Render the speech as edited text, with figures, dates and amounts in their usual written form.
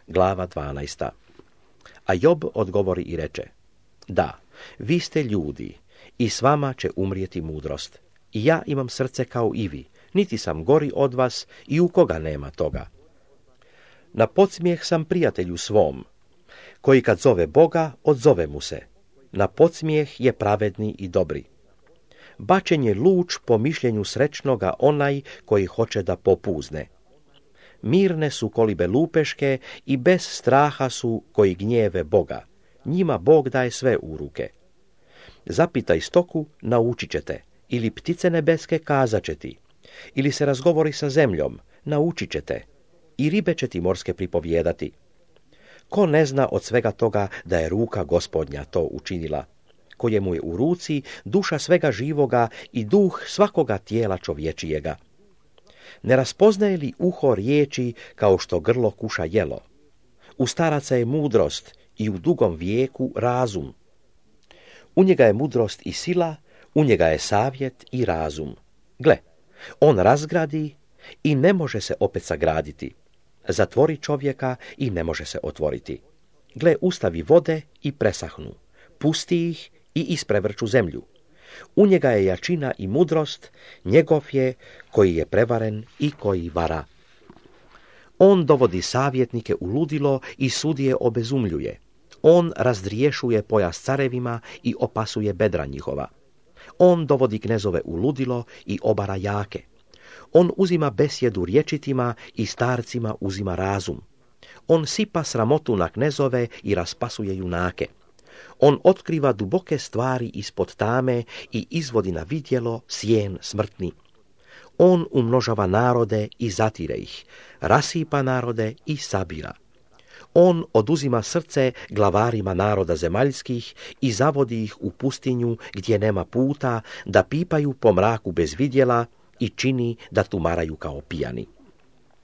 glava 12. A Job odgovori i reče: da, vi ste ljudi i s vama će umrijeti mudrost. I ja imam srce kao i vi, niti sam gori od vas i u koga nema toga. Na podsmijeh sam prijatelju svom, koji kad zove Boga, odzove mu se. Na podsmijeh je pravedni i dobri. Bačen je luč po mišljenju srećnoga onaj koji hoće da popuzne. Mirne su kolibe lupeške i bez straha su koji gnjeve Boga. Njima Bog daje sve u ruke. Zapitaj stoku, naučit ćete, ili ptice nebeske kazat će ti, ili se razgovori sa zemljom, naučit ćete, i ribe će ti morske pripovijedati. Ko ne zna od svega toga da je ruka Gospodnja to učinila, kojemu je u ruci duša svega živoga i duh svakoga tijela čovječijega? Ne raspoznaje li uho riječi kao što grlo kuša jelo? U staraca je mudrost i u dugom vijeku razum. U njega je mudrost i sila, u njega je savjet i razum. Gle, on razgradi i ne može se opet sagraditi. Zatvori čovjeka i ne može se otvoriti. Gle, ustavi vode i presahnu. Pusti ih i isprevrću zemlju. U njega je jačina i mudrost, njegov je koji je prevaren i koji vara. On dovodi savjetnike u ludilo i sudije obezumljuje. On razdriješuje pojas carevima i opasuje bedra njihova. On dovodi knezove u ludilo i obara jake. On uzima besjedu rječitima i starcima uzima razum. On sipa sramotu na knezove i raspasuje junake. On otkriva duboke stvari ispod tame i izvodi na vidjelo sjen smrtni. On umnožava narode i zatire ih, rasipa narode i sabira. On oduzima srce glavarima naroda zemaljskih i zavodi ih u pustinju gdje nema puta, da pipaju po mraku bez vidjela i čini da tumaraju kao pijani.